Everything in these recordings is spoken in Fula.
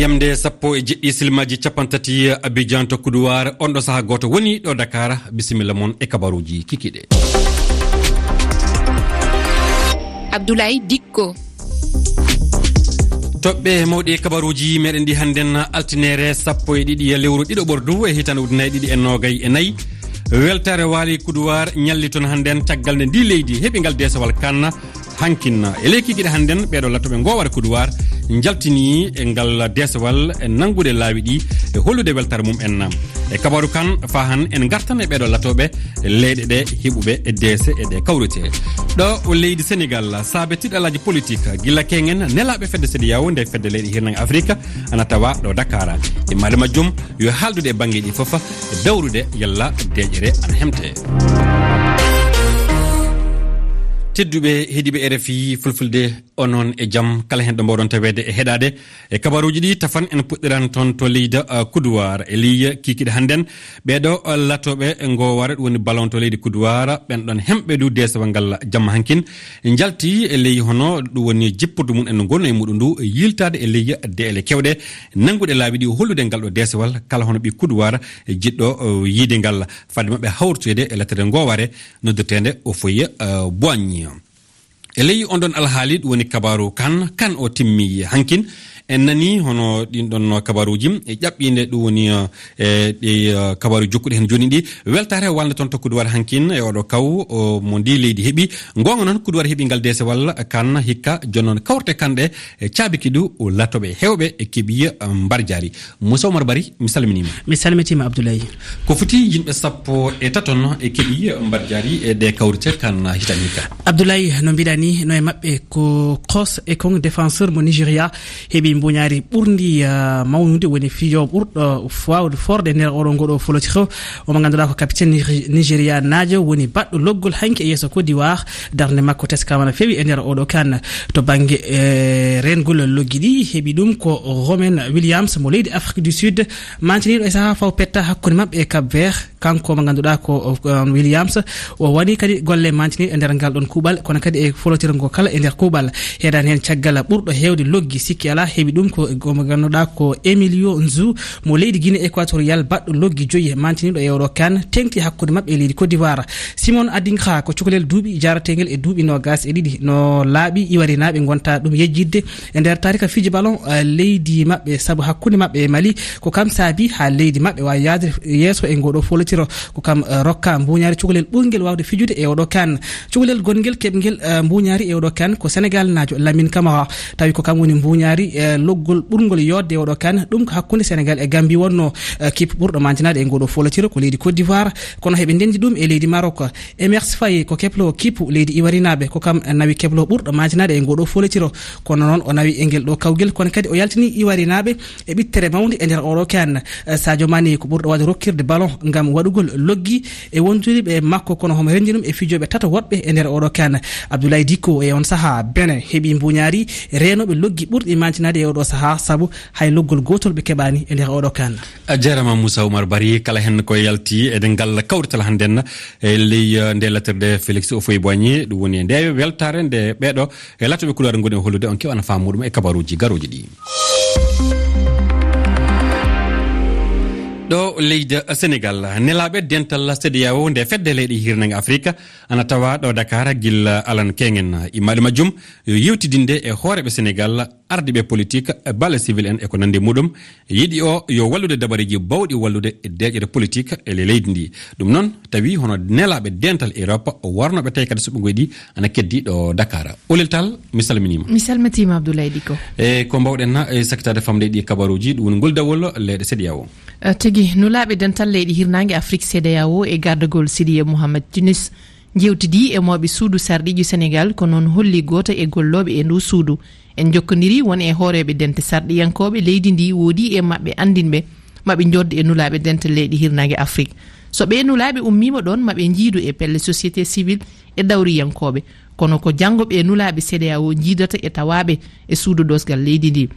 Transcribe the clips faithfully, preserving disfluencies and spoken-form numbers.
Yamde sappo e jeɗɗi silmaji capanɗe tati Abidjan to Coudoir, on ɗo saha gooto woni ɗo Dakar. Bisimilla mon e kabaruji kikiɗe. Abdoulaye Dikko. Toɓɓe mawɗi e kabaruji meɗen ɗi hannden, altinere sappo e ɗiɗi lewru ɗiɗo ɓordu e hitande ujunnaji ɗiɗi e noogay e nayi. Weltare waali Coudoir, ñalli toon hannden caggal nde ndi leydi heɓi ngal deesewal kan. Hankin e leyki giɗe hannden, ɓeeɗo lattoɓe ngoware Coudoir njaltini e ngal deesewal e nanngude laawi ɗi e hollude weltare mum en. E kabaru kan, fahan en ngartan e ɓeeɗo lattoɓe leyɗe ɗe heɓuɓe e deese e ɗe kawrite. Ɗo o leydi Sénégal, saabe tiɗalaji politique, gila kengen nelaɓe fedde CEDEAO, nde fedde leyɗe hirnange Afrique, ana tawa ɗo Dakar. E maali majjum, yo haaldude e bannge ɗi fof, dawrude yalla deeƴere ana hemte. Tedduɓe heɗiɓe R F I Fulfulde, onon e jam, kala hen ɗo mbawɗon taweede e heɗaade e kabaruji ɗi, tafan en puɗɗiran toon to leydi, uh, Coudoir, e leydi kikiɗe hannden. Ɓeeɗo, uh, latoɓe e ngoware, ɗum woni ballon to leydi Coudoir, ɓen ɗon hemɓe du deesewal ngal jamma hankin, njalti e leydi hono ɗum woni jipporde mum en no ngonno e muɗum ndu, yiltaade e leydi deeƴe kewɗe, nanngude laabi ɗi, hollude ngal ɗo deesewal, kala hono ɓi Coudoir, e jiɗɗo, uh, yiide ngal. Fadde maɓɓe hawritoyde e lattere ngoware noddirteende Houphouët, uh, Boigny. E ley on ɗon alhaali, ɗum woni kabaru kan, kan o timmi hankin. En nani hono ɗin ɗon kabaruji e ƴaɓɓinde, ɗum woni, eh, e ɗi, eh, kabaru jokkuɗi hen jooni ɗi. Weltaare waalnde toon to Coudoir hankin e oɗo kaw, o, mo ndi leydi heɓi. Ngoonga noon, Coudoir heɓi ngal deesewal kan hikka, jooni noon kawrte kanɗe e caabiki ɗu o latoɓe hewɓe e keɓi, eh, mbarjaari. Moussa Oumar Bari, mi salminiima. Mi salmitiima, Abdoulaye. Ko foti yimɓe sappo e tato no e keɓi mbarjaari e ɗe kawrite kan hitani ka. Abdoulaye, no mbiɗa ni, no e maɓɓe ko Kros Ekong, défenseur mo Nigeria, heɓi mbuñaari ɓurndi, ah, mawnude, woni fijo ɓurɗo waawde forde nder oɗo ngoɗo folotiro. O mo ngannduɗaa ko capitaine Nige-, Nigeria naajo, woni baɗɗo loggol hanki e yeeso Côte d'Ivoire. Darnde makko teskama no feewi e nder oɗo kan. To bannge, eh, reengol loggi ɗi, heɓi ɗum ko Romain Williams mo leydi Afrique du Sud, mantiniiɗo e sahaa faw petta hakkunde maɓɓe e Cap Vert. Kanko mo ngannduɗaa ko, um, Williams, o waɗi kadi golle mantiniiɗe e nder ngal ɗon kuuɓal, kono kadi e folotirngo kala e nder kuuɓal. Heedan heen caggal ɓurɗo heewde loggi, sikki alaa, heɓi ɗum ko, ko mo ngannduɗaa ko Emilio Nzu mo leydi Guinée Équatoriale, baɗɗo loggi joyi, mantiniiɗo e oɗo kan, teŋti hakkunde maɓɓe e leydi Côte d'Ivoire. Simon Adingra ko cukalel duuɓi, jarateengel e duuɓi noogas e ɗiɗi. No laaɓi iwarinaaɓe ngonta ɗum yejjitde e nder taarika fiji ballon, eh, leydi maɓɓe, sabu hakkunde maɓɓe e Mali, ko kam saabi haa leydi maɓɓe waawi yahde yeeso e ngoɗo folotiro. Ko kam, eh, rokka mbuñaari cukalel ɓurngel waawde fijude e oɗo kan. Cukalel gonngel keɓngel, eh, mbuñaari e oɗo kan ko Senegal naajo Lamine Camara. Tawi ko kam woni mbuñaari, eh, loggol ɓurngol yodde e oɗo kan. Ɗum ko hakkunde Senegal e Gambie wonno, eh, kip ɓurɗo mantinaade e ngoɗo folotiro ko leydi Côte d'Ivoire. Kono heɓe ndenndi ɗum e leydi Maroc. Emers Faye ko keplo kippu leydi iwarinaaɓe, ko kam nawi keplo ɓurɗo mantinaade e ngoɗo folotiro. Kono noon o nawi e ngel ɗo kawgel, kono kadi o yaltini iwarinaaɓe e ɓittere mawnde e nder oɗo kan. Eh, Sadio Mané ko ɓurɗo waawde rokkirde ballon ngam waɗugol loggi e wondude ɓe makko, kono homo renndi ɗum e fijooɓe tato woɗɓe e nder oɗo kan. Abdoulaye Dicko e on sahaa Benin heɓi mbuñaari reenooɓe loggi ɓurɗi mantinaade e oɗo sahaa, sabu hay loggol gootol ɓe keɓaani e nder oɗo kan. A jarama Moussa Oumar Bari, kala hen ko yalti e ngal kawrital hannden e ley, eh, nde lattirde Félix Houphouët-Boigny, ɗum woni e nde weltaare nde ɓeeɗo e lattoɓe Coudoir ngoni e hollude, on keɓana faamu muɗum e kabaruji garoji ɗi. Ɗo leydi Senegal, nelaaɓe dental CEDEAO nde fedde leyɗe hirnange Afrika ana tawa ɗo Dakar gilla alan kengen. Immaɗi majjum yo yewtidinde e hooreɓe Senegal, ardiɓe politique, balle civil en e ko nandi muɗum. Yiɗi o yo wallude dabareji bawɗi wallude e deeƴere politique e le-, leydi ndi. Ɗum noon tawi hono nelaaɓe dental Europe warnoɓe tawi kadi suɓɓugoy ɗi ana keddi ɗo Dakar. Olel Tall, mi salminiima. Mi salmitiima, Abdoulaye Dicko. E ko mbawɗen na, e sakkitaade famde ɗi kabaruji, ɗum woni ngol dawol leyɗe CEDEAO. Eh, tigi, nulaaɓe dental leyɗe hirnaange Afrique CEDEAO e gardagol Sidiye Mohamed Tunis njewtidi e mawɓe suudu sarɗiiji Senegal, ko noon holli gooto e gollooɓe e ndu suudu. En njokkondiri won e hooreeɓe dente sarɗiyankooɓe leydi ndi, woodi e maɓɓe anndinɓe maɓe njodde e nulaaɓe dente leyɗe hirnaange Afrique. So ɓee nulaaɓe ummiima ɗoon, maɓe njiidu e pelle société civile e dawriyankooɓe. Kono ko janngo ɓee nulaaɓe CEDEAO njiidata e tawaaɓe e suudu doosgal leydi ndi.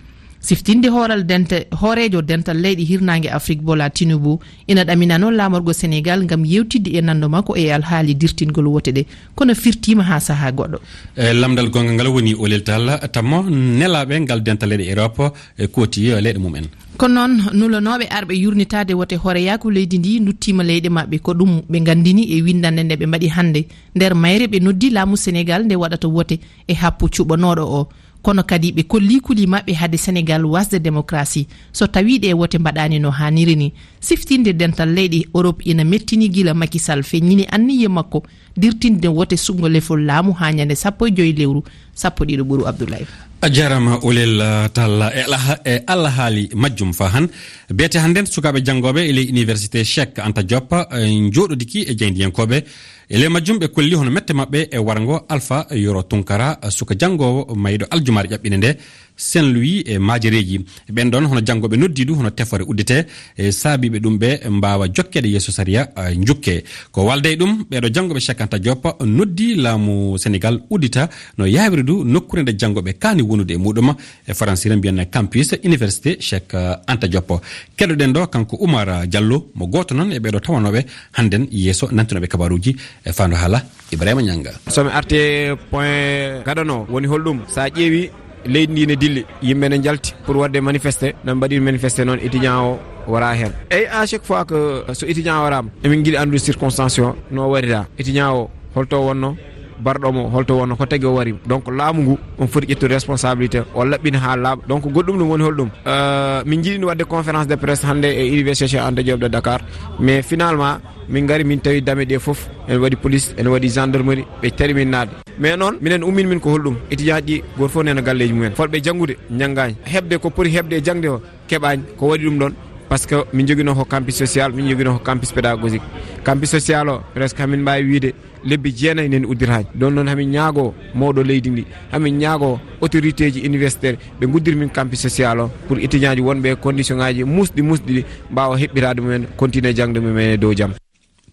Siftinde hooral denta-, hooreejo dental leyɗe hirnaange Afrik Bola Tinubu ina ɗaminanoo laamorgo Senegal ngam yeewtidde e nanndo makko e alhaali dirtingol wote ɗe, kono firtiima haa sahaa goɗɗo. E lamndal goonga ngal woni o leltal tammo nelaaɓe ngal dental leyɗe Europe e kooti leyɗe mum en. Ko noon, nulanooɓe arɓe yurnitaade wote hooreyaaku leydi ndi nduttiima leyɗe maɓɓe. Ko ɗum ɓe nganndini e winndannde nde ɓe mbaɗi hannde. Nder mayre ɓe noddi laamu Senegal nde waɗata wote e happu cuɓanooɗo o. Kono kadi ɓe kolli kuli maɓɓe hade Senegal wasde demokrasi so tawii ɗe wote mbaɗaani no haaniri ni. Siftinde dental leyɗe Europe ina mettini gila Macky Sall feññini anniye makko dirtinde wote suɓngo lefol laamu haa ñande sappo e joy lewru sappo ɗiɗo ɓuru. Abdoulaye. A jaaraama, Olel, uh, Talla, e alaha-, e alahaali majjum. Faa han, beete hannden sukaaɓe janngooɓe e ley Université Cheikh Anta Diop, uh, njooɗodiki e jaayndiyankooɓe. E ley majjum, ɓe kolli hono mette maɓɓe e warngo Alpha Yoro Tunkara, uh, suka janngoowo mayɗo aljumaare ƴaɓɓinde nde, Saint-Louis e maajereeji. Ɓen ɗon hono janngooɓe noddiidu hono tefoore udditee, e saabiiɓe ɗum ɓe mbaawa jokkeede yeeso sariya, a, njukke. Ko walde e ɗum, ɓeeɗo janngooɓe Cheikh Anta Diop noddi laamu Senegal uddita no yaawiri du nokkuure nde janngooɓe kaani wonude e muɗum e Faransire mbiyen campus Université Cheikh Anta Diop. Keɗoɗen ɗo kanko Oumar Diallo, mo gooto noon e ɓeeɗo tawanooɓe hannden yeeso nantinooɓe kabaruuji e faandu haala Ibrahima Nianga. So mi arti point gadano, woni holɗum? Sa ƴeewi leydi ndi ne dilli, yimɓe ne njalti pour waɗde manifeste, no mbaɗi manifeste noon, étudiant o wara heen. Eyi, à chaque fois que so étudiant waraama, emin njiɗi anndude circonstance o no warira. Étudiant o holto wonno, barɗo mo holto wonno, ko tagi o wari. Donc laamu ngu on foti ƴettude responsabilité, o laɓɓina haa laaɓa. Donc goɗɗum ɗum woni holɗum? Euh, min njiɗi waɗde conférence de presse hannde e Université Cheikh Anta Diop de Dakar, mais finalement, min ngari, min tawi dame ɗe fof, ene waɗi police, ene waɗi gendarmerie, ɓe tari min naatde. Mais noon, minen ummin min ko holɗum? Étudiant ji ɗi, gooto fof nena galleeji mumen. Fotɓe janngude, njanngaani. Heɓde ko poti heɓde e jaŋde o, keɓaani. Ko waɗi ɗum ɗoon? Parce que min njoginoo ko campus social, min njoginoo ko campus pédagogique. Campus social o, presque hamin mbaawi wiyde lebbi jeenayi neni udditaani. Ɗoon noon, hamin ñaagoo mawɗo leydi ndi, hamin ñaagoo autorité ji universitaire, ɓe nguddira min campus social o pour étudiant ji wonɓe e condition ŋaaji muusɗi, muusɗi ɗi mbaawa heɓɓitaade mumen, continuer jaŋde mumen e dow jam.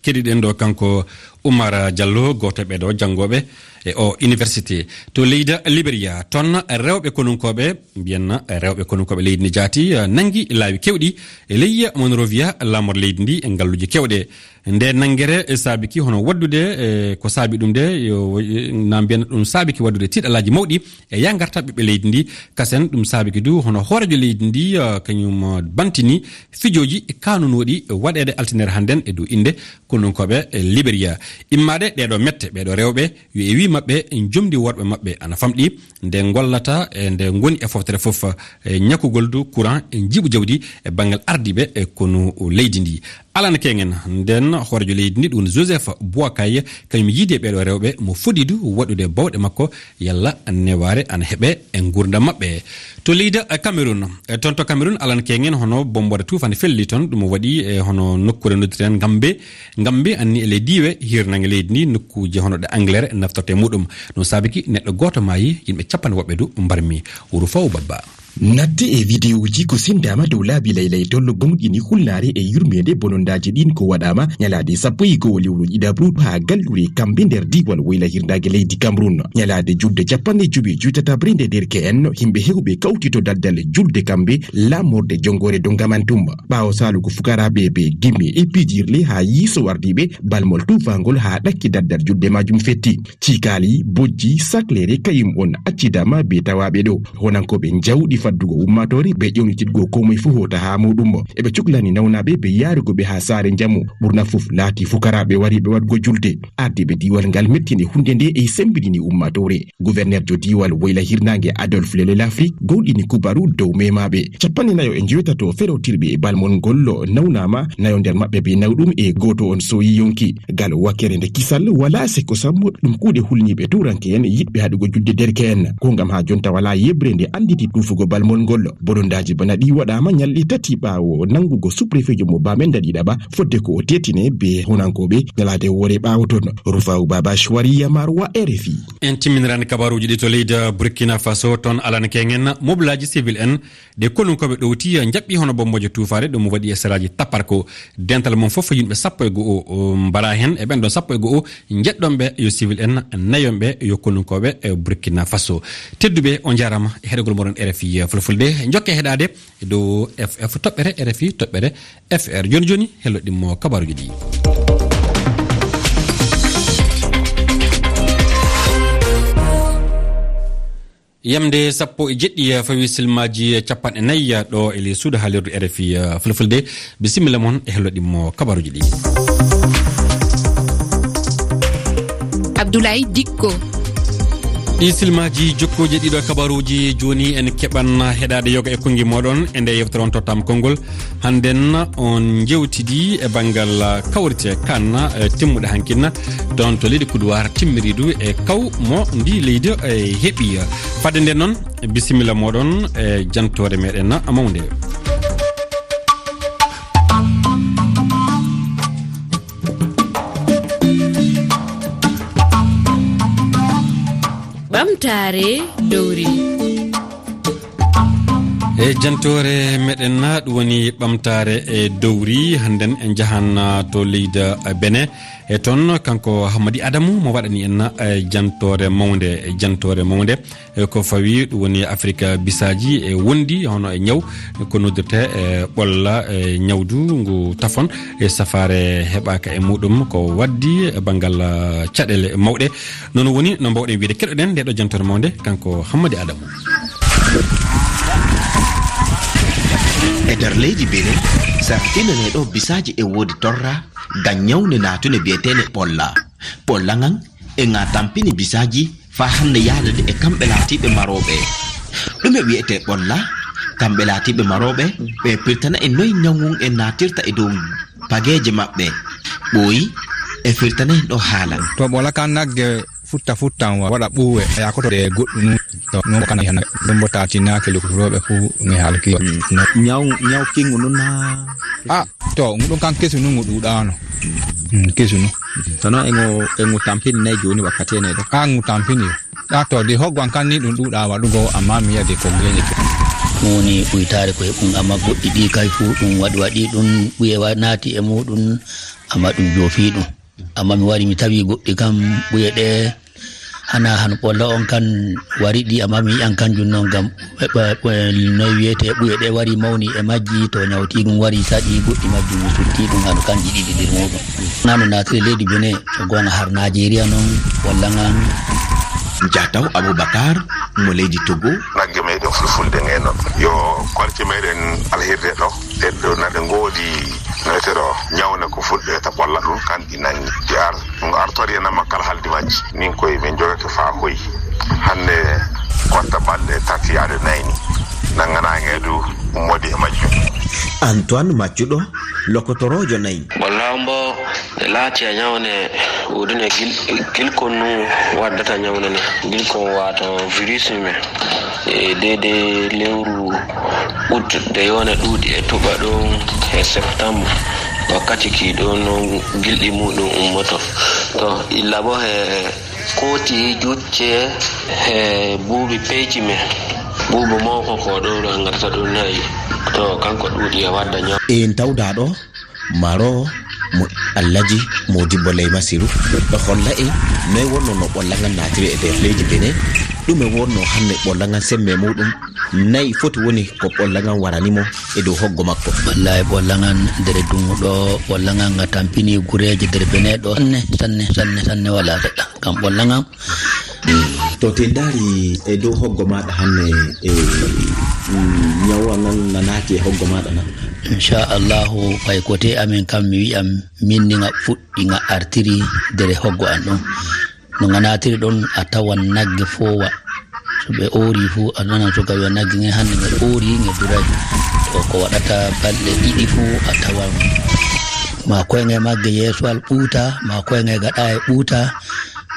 Keɗiɗen ɗo kanko Oumar Diallo, gooto e ɓeeɗo janngooɓe e o université. To leydi Liberia, toon rewɓe konunkooɓe, mbiyen rewɓe konunkooɓe leydi ndi jaati, nanngi laawi keewɗi e ley Monrovia, laamorde leydi ndi e ngalluuje keewɗe. Nde nanngere saabiki hono waɗdude, e ko saabi ɗum de, yo, na mbiyen ɗum saabiki waɗdude tiiɗalaaji mawɗi e yaha ngarta ɓiɓɓe leydi ndi. Kasen ɗum saabiki du hono hooreejo leydi ndi, eh, kañum, eh, bantini fijooji kaanunooɗi waɗeede altinere hannden e dow innde konunkooɓe, eh, Liberia. Immaade ɗeeɗo mette, ɓeeɗo rewɓe, yo e wii maɓɓe, jomndi worɓe maɓɓe ana famɗi, nde ngollata e nde ngoni e foftere fof, eh, ñakugol du courant, eh, njiɓu jawdi e banngal ardiiɓe, eh, konu leydi ndi. Alan Kengen, nden hooreejo leydi ndi, ɗum Joseph Boakai, kañum yiide ɓeeɗo rewɓe mo fodi du waɗude bawɗe makko, yalla newaare ana heɓe e nguurndam maɓɓe. To leydi Cameroun, e toon to Cameroun, Alan Kengen, hono bommboode tuufaande felli toon, ɗum waɗi e hono nokkuure noddirten Ngambe. Ngambe anni e ley diiwe hirnange leydi ndi, nokkuuje hono ɗe Angleterre naftorte e muɗum. Ɗum saabiki neɗɗo gooto maayi, yimɓe capanɗe woɓɓe du mbarmi. Wuro Faw Babba. Natte e videoji ko sendama dow laabi laylaytollo gomɗini hulnaare e yurmeende bonondaaji ɗin ko waɗama ñalaade sappo e go'o lewru ɗiɗaɓru haa galluure Kambe nder diiwal woyla hirnaange leydi Cameroun. Ñalaade julde capanɗe jowi e jowi tataɓre nde derke en, yimɓe hewɓe kawti to daldal julde Kambe, laamorde jonngoore Dongamantum. Ɓaawo saalugo fukaraaɓe ɓe gimi e pijirle haa yiiso wardiiɓe, balmol tuufaangol haa ɗakki daldal julde majum fetti. Ciikaali, bojji, saklere, kayum on accidama be tawaaɓe ɗo. Honankooɓe njawɗi faddugo ummaatoore be ƴewnitidgo ko moye fuu hoota haa muuɗum. Eɓe cuklani nawnaaɓe be yaarugo ɓe haa saare njamu. Ɓurna fof laati fukaraaɓe wariiɓe waɗgo julde. Ardiiɓe diiwal ngal mettini huunde nde e semmbinini ummaatoore. Guwernerjo diiwal woyla hirnaange Adolphe Lele Lafri gowɗini kubaru dow memaaɓe. Capanɗe nayo e njoytato ferootirɓe e balmol ngol nawnaama, nayo nder maɓɓe be nawɗum e gooto on sooyi yonki. Gal wakkere nde kisal walaa seko sammo ɗum kuuɗe hulniiɓe tuuranke en yiɗɓe haɗugo julde derke en. Ko ngam haa jonta walaa yeɓre nde annditi tuufugo balmol ngol. Bonondaaji bana ɗi waɗaama ñalɗi tati ɓaawo nanngugo sous-préfetjo mo Bamenda ɗiɗaɓa, fodde ko o teetine be honankooɓe ñalaade woore ɓaawo ton. Rufa'u Baba Chouari Yamar wa R F I. En timminirani kabaruuji ɗi to leydi Burkina Faso, toon Alan Kengen, mobilaaji civil en ɗe konunkooɓe ɗowti, njaɓɓi hono bommboje tuufaare, ɗum waɗi e saraaji Taparko. Dental mum fof yimɓe sappo e go'o, o, mbara heen, e ɓen ɗon sappo e go'o, njeɗɗon ɓe yo civil en, nayon ɓe yo konunkooɓe, e Burkina Faso. Tedduɓe, on njaaraama e heɗogol moɗon R F I. Fulfulde, njokke heɗaade e dow F F toɓɓere R F I toɓɓere F R. Jooni jooni, hello ɗimmo kabaruuji ɗi. Yamde sappo e jeɗɗi fawi silmaaji capanɗe nayi ɗo e ley suudu haalirdu R F I Fulfulde. Bisimilla mon e hello ɗimmo kabaruuji ɗi. Abdoulaye Dikko. Ɗi silmaaji jokkooji ɗiɗo kabaruuji jooni en keɓan heɗaade yoga e konngi mooɗon e nde yewtere on tottaama konngol. Hannden on njewtidi e banngal kawrite kan, eh, timmuɗe hankin, toon to leydi Kuduwaar timmiriidu e kaw mo ndi leydi, eh, heɓi. Fadde nden noon, bisimilla mooɗon e jantoore meɗen mawnde. Ɓamtaare dowri. E jantoore meɗen, ɗum woni ɓamtaare e dowri. Hannden en njahan, ah, to leydi, ah, Benin. E toon, kanko Hammadi Adamu mo waɗani en, eh, jantoore mawnde, jantoore mawnde. E ko fawi ɗum woni Afirka bisaaji e wondi hono e ñaw ko noddirte e ɓolla e ñawdu ngu tafon e safaare heɓaaka e muɗum ko waddi e banngal, ah, caɗeele mawɗe. Noon woni no mbawɗen wiyde keɗoɗen nde ɗo jantoore mawnde kanko Hammadi Adamu. E nder leydi Benin, sarɗinane ɗo bisaaji e woodi torra ngam ñawnde naatune biyeteene ɓolla. Ɓolla ngan e nga tampini bisaaji faa hannde yahde e kamɓe laatiiɓe marooɓe. Ɗume wiyetee ɓolla? Kamɓe laatiiɓe marooɓe, ɓe pirtana en noy ñaw ngun en naatirta e dow pageeje maɓɓe. Ɓooyi e firtana en ɗo haala. To ɓolla kan nagge futta futtan wa-, waɗa ɓuuwe, yaakoto e goɗɗum nun. To nun ko kana hannde. Ɗum bo taatinaaki lokotooɓe fu mi halki. Mm. No. Ñaw, ñaw kingu nun na? Ah, to, ngu ɗum kan kesu nun ngu ɗuuɗaano. Mm, kesu nun. Kono e ngu, e ngu tampini nay jooni wakkati ene ɗo. Ah, ngu tampini. Ah, to, de hoggo an kan ni ɗum ɗuuɗaa waɗugo, amma mi yi'a de ko ngeñete. Ɗum woni ɓuytaare ko e ɗum, amma goɗɗi ɗi kay fu ɗum waɗi, waɗi ɗum ɓuye wa-, naati e muɗum, amma ɗum joofi ɗum. Amma mi wari mi tawi goɗɗi kam ɓuye ɗe hana han ɓolla on kan wari ɗi, amma mi yi'an kanjum non gam ɓe, ɓe, ɓe, noy wiyete ɓuye ɗe wari mawni e majji, to nyawti ɗum wari saɗi goɗɗi majjum mi sutti ɗum hano kanji ɗiɗi nder muɗum. Nano naatiri leydi Benin, so goonga har Najeriya non, walla ngan. Jataw Abubakar, mo leydi Togo. Nagge meɗen fulfulde nge non. Yo kolte meɗen alhirde ɗo. Ɗen ɗo na ɗe ngoodi metero ñawne ko fuɗɗe ta ɓolla ɗum, kan ɗi nangi. Ɗi ar-, ɗum artori en amma kala haldi majji. Nin koye men jogake faa hoyi. Hannde kotta balɗe tati yaade nayi ni. Nanganaange du ummodi e majjum. Antoine Maccuɗo, lokotoroojo nayi. Walla mbo e laati a ñawne woodune gil-, gilkon nu waddata ñawne ne. Gilkon wata virus men. E deede lewru ut de yone ɗuuɗi e tuɓa ɗum e septembre. Wakkati ki ɗo no gilɗi muɗum ummoto. To illa bo he kooti jucce he buubi peyci men. Buubu mawko ko ɗo ngarata ɗum nayi. To kanko ɗuuɗi e wadda ñaw. En tawda ɗo. Maro mo Alhaji Modibbo Ley Masiru ɗo holla en noy wonno no ɓolla ngan naatiri e nder leydi Benin, ɗume wonno hannde ɓolla ngan semme muɗum, nayi foti woni ko ɓolla ngan warani mo e dow hoggo makko. Wallahi ɓolla ngan nder dungu ɗo, ɓolla ngan nga tampini gureeje nder Benin ɗo sanne, sanne, sanne, sanne wala seɗɗa. Kam ɓolla ngan To te ndaari e dow hoggo maaɗa hannde, e, mm, ñawa ngan na naati e hoggo maaɗa na? Inchallahu, ɓay ko te amen kam mi wi'an min ni nga fuɗɗi nga artiri nder hoggo an ɗum. No nga naatiri ɗon a tawan nagge foowa. So ɓe oori fu a nanan suka wi'a nagge nge hannde nge oori nge duray. To ko waɗata balɗe ɗiɗi fu a tawan ma koynge magge yeeso al ɓuuta, ma koynge gaɗa e ɓuuta.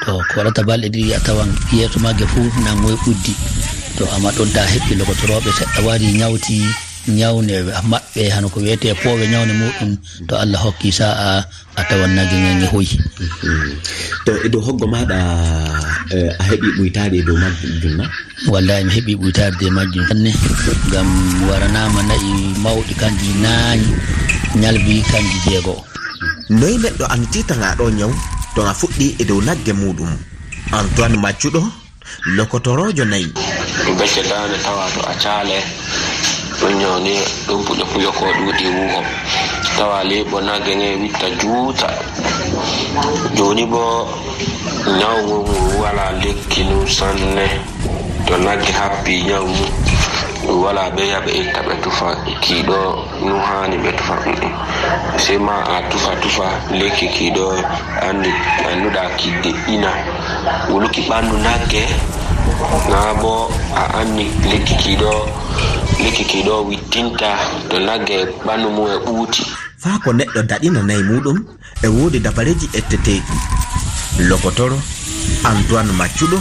To ko waɗata balɗe ɗiɗi a tawan yeeso magge fuu nangoy ɓuddi. To amma ɗon ta heɓɓi lokotorooɓe seɗɗa wari ñawti ñawne maɓɓe hano ko wiyetee poowe ñawne muɗum. To Allah hokki sa'a a tawan nagge nge nge hoyi. To e dow hoggo maaɗa, eh, a heɓi ɓuytaade e dow majjum na? Wallahi mi heɓi ɓuytaade e majjum sanne. Ngam waranaama na'i mawɗi kanji nayi, ñalbi kanji jeego. Noy neɗɗo anditirta nga ɗo ñaw to nga fuɗɗi e dow nagge muɗum? Antoine Maccuɗo, lokotoroojo nayi. Becce daande tawa to a caale, ɗum ñawni ɗum puƴo puƴo ko ɗuuɗi wuho. Tawa leeɓo nagge nge witta juuta. Jooni bo ñaw ngu ngu wala lekki num sanne. To nagge happi ñaw ngu, wala ɓe yaɓe itta ɓe tufa kiiɗo. Ɗum haani ɓe tufa ɗum. Sey ma a tufa tufa lekki ki ɗo anndi, annduɗa kidde ina wuluki ɓanndu nagge, naa bo a anndi lekki ki ɗo, lekki ki ɗo wittinta to nagge ɓanndu mum e ɓuuti. Faa ko neɗɗo daɗina nayi muuɗum, e woodi dabareeji etteteeɗi. Lokotoro, Antoine Maccuɗo,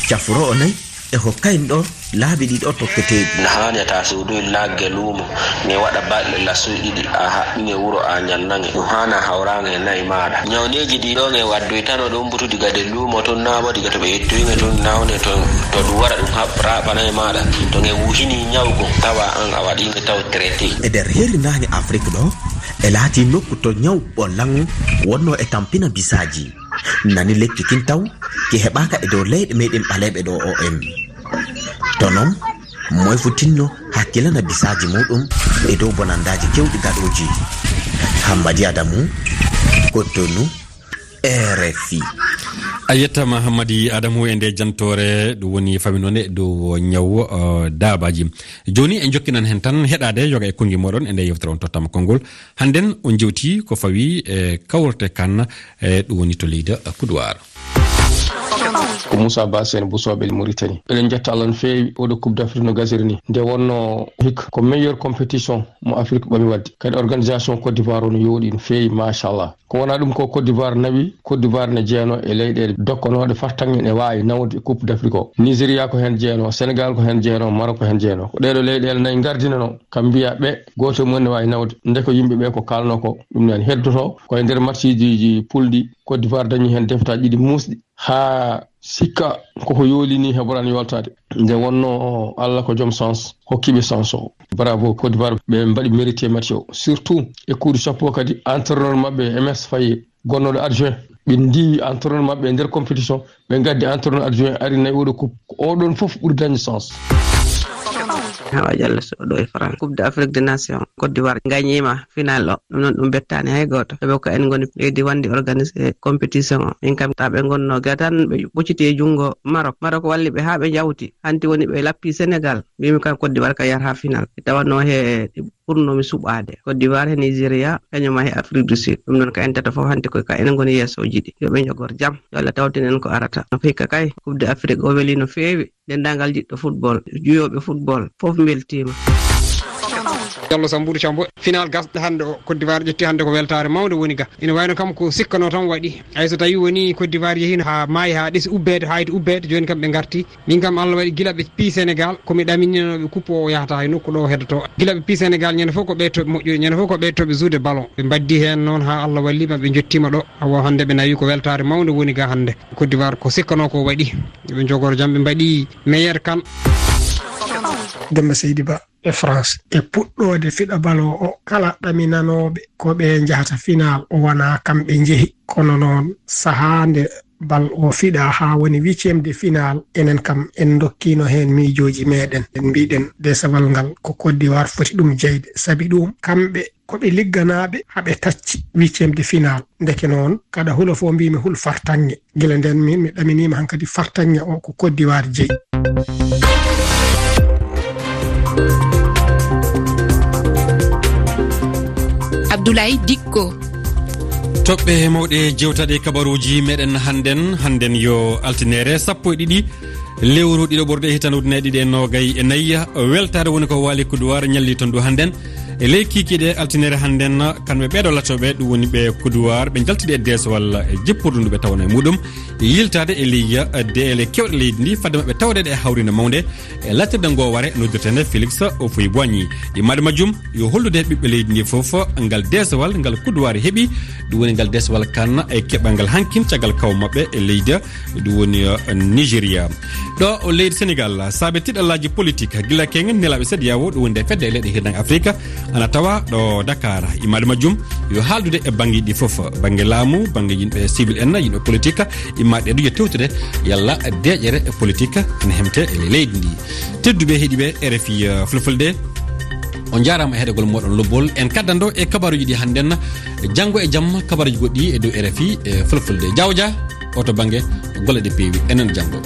cafroowo nayi, e hokkaynɗo laabi ɗiɗo tokketeeɗi. Na haani a taa soodoy nagge luumo, ne waɗa balɗe lassoy ɗiɗi, a haɓɓinge wuro, a ñannange. Ɗum haana hawraange e nayi maaɗa. Ñawneeji ɗi ɗo nge waddoytano ɗum butu diga de luumo tun, naa bo diga to ɓe yettoyinge tun, nawne to, to ɗum wara ɗum haɓ-, raaɓa nayi maaɗa. To nge wuhini ñawgo, tawa an a waɗinge taw traité. E nder heri naange Afrik ɗo, e laati nokku to ñaw ɓollan wonno e tampina bisaaji. Nani lekki kin taw, ki heɓaaka e dow leyɗe meɗen ɓaleeɓe ɗo o en. To non, moy fu tinno hakkilana bisaaji muɗum e dow bonandaaji kewɗi gaɗooji. Hammadi Adamu, Cotonou, R F I. A yettama Hammadi Adamu e nde jantoore, ɗum woni famino ne dow ñaw, eh, daabaji. Jooni en jokkinan hen tan heɗaade yoga e konngi moɗon e nde yewtere on tottama konngol. Hannden on jewti ko fawi e kawrte kan, e ɗum woni to leydi Kuduwaar. Ko Moussa Ba Sène Bousso Bel Mauritanie. Eɗen njetta Allah no feewi oɗo Coupe d'Afrique no gasiri ni. Nde wonno hikka ko meilleure compétition mo Afrique ɓami wadde. Kadi organisation Côte d'Ivoire o no yooɗi no feewi, machallah. Ko wona ɗum ko Côte d'Ivoire nawi, Côte d'Ivoire ne jeeno e leyɗeele dokkonooɗe fartaŋŋe ne waawi nawde e Coupe d'Afrique o. Nigeria ko heen jeeno, Sénégal ko heen jeeno, Maroc ko heen jeeno. Ko ɗeeɗo leyɗeele nayi ngardinano, kam mbiya ɓe gooto mum ne waawi nawde. Nde ko yimɓe ɓe ko kaalno ko, ɗum nani heddoto ko e nder matchiji pulɗi. Côte d'Ivoire dañi heen defetaaji ɗiɗi muusɗi. Haa sikka koko yooli ni heɓoran yoltaade. Nde wonno Allah ko joom sens, hokkiɓe sens o. Bravo Côte d'Ivoire, ɓe mbaɗi mérité match o. Surtout e kuuɗu sappo kadi entraîneur maɓɓe M S Faye, gonnoɗo adjoint. Ɓe ndiwi entraîneur maɓɓe e nder compétition, ɓe ngaddi entraîneur adjoint ari nayi oɗo coupe. Ko oɗon fof ɓuri dañde sens. Hawa Diallo Sow ɗo e France. Coupe d'Afrique des Nations, Côte d'Ivoire gañiima final o. Ɗum noon ɗum bettaani hay gooto. Sabu ko en ngoni leydi wonndi organisé compétition o. Min kam, taa ɓe ngonno ga tan, ɓe ɓocciti e junngo Maroc. Maroc walli ɓe haa ɓe njawti. Hanti woni ɓe lappi Sénégal. Mbimi kam Côte d'Ivoire ka yarata final. Tawanno he ɓurnoomi suɓaade. Côte d'Ivoire he Nigeria, kañum ma he Afrique du Sud. Ɗum noon ka en tato fof hanti ko ka enen ngoni yeesooji ɗi. Yo ɓe njogor jam. Yo Allah tawtin en ko arata. No hikka kay, Coupe d'Afrique o weli no feewi. Denndaangal jiɗɗo football, juyooɓe football, fof mbeltiima. Diallo Sambourou Thiambo, final gasɗo hannde o, Côte d'Ivoire ƴetti hannde ko weltaare mawnde woni ga. Ina wayno kam ko sikkano tan waɗi. Hay so tawi woni Côte d'Ivoire yehino haa maayi, haa ɗesi ubbeede, haa iti ubbeede, jooni kam ɓe ngarti. Min kam Allah waɗi gila ɓe pii Sénégal, ko mi ɗamininoɓe coupe o yahata hay nokku ɗo heddoto. Gila ɓe pii Sénégal ñande fof ko ɓe toɓe moƴƴude, ñande fof ko ɓe toɓe jouer ballon. Ɓe mbaddi heen noon haa Allah walli ma ɓe njottiima ɗo. Awa hannde ɓe nawi ko weltaare mawnde woni ga hannde. Côte d'Ivoire ko sikkano ko waɗi. Ɓe njogor jam, ɓe mbaɗi meilleur kan. Demba Seydi Ba e France. E puɗɗoode fiɗa ballon o, kala ɗaminanooɓe ko ɓe njahata final, o wonaa kamɓe njehi. Kono noon, sahaa nde bal o fiɗaa haa woni huitième de final, enen kam en ndokkiino heen miijooji meeɗen. En mbiɗen desewal ngal ko Côte d'Ivoire foti ɗum jeyde. Sabi ɗum, kamɓe ko ɓe ligganaaɓe haa ɓe tacci huitième de final. Ndeke noon, kaɗa hula fof mbiymi hul fartaŋŋe. Gila ndeen min mi ɗaminiima hankadi fartaŋŋe o ko Côte d'Ivoire jeyi. Abdoulaye Dicko. Toɓɓe mawɗe jewtaɗe kabaruuji meɗen hannden, hannden yo altinere sappo e ɗiɗi lewru ɗiɗo ɓorde e hitande ujunere ɗiɗi e noogay e nayi. Weltaare woni ko waali Coupe d'Ivoire ñalli ton du hannden. E ley kiikiiɗe altinere hannden, kamɓe ɓeeɗo latooɓe, ɗum woni ɓe Coupe d'Ivoire, ɓe njaltidi e deesowal e jippurdu ndu ɓe tawno e muɗum. Yiltaade e ley deele kewɗe leydi ndi, fadde maɓɓe tawreede e hawriinde mawnde e latirde ngo ware noddirteende Félix Houphouët-Boigny. Yimmaade majjum, yo hollude ɓiɓɓe leydi ndi fof ngal deesowal ngal Coupe d'Ivoire heɓi, ɗum woni ngal deesowal kan e keɓal ngal hankin caggal kaw maɓɓe e leydi, ɗum woni, eh, Nigeria. Ɗo o leydi Sénégal, saabe tiɗallaaji politik, gila keŋ nelaaɓe CEDEAO, ɗum woni nde fedde e leyɗe hirnaange Afrika, Ana tawa ɗo Dakar. Imaade majjum yo haaldude e banngeeji ɗi fof, bannge laamu, bannge yimɓe civil en, yimɓe politique, imaade e duje tewtude yalla deeƴere e politique ene hemte e leydi ndi. Tedduɓe heɗiiɓe R F I, eh, Fulfulde, on njaaraama e heɗagol mooɗon lobbol. En kaddanɗo e kabaruuji ɗi hannden, janngo e jamma kabaruuji goɗɗi e dow R F I e Fulfulde. Jawja, o to bannge golle ɗe peewi. Enen janngo.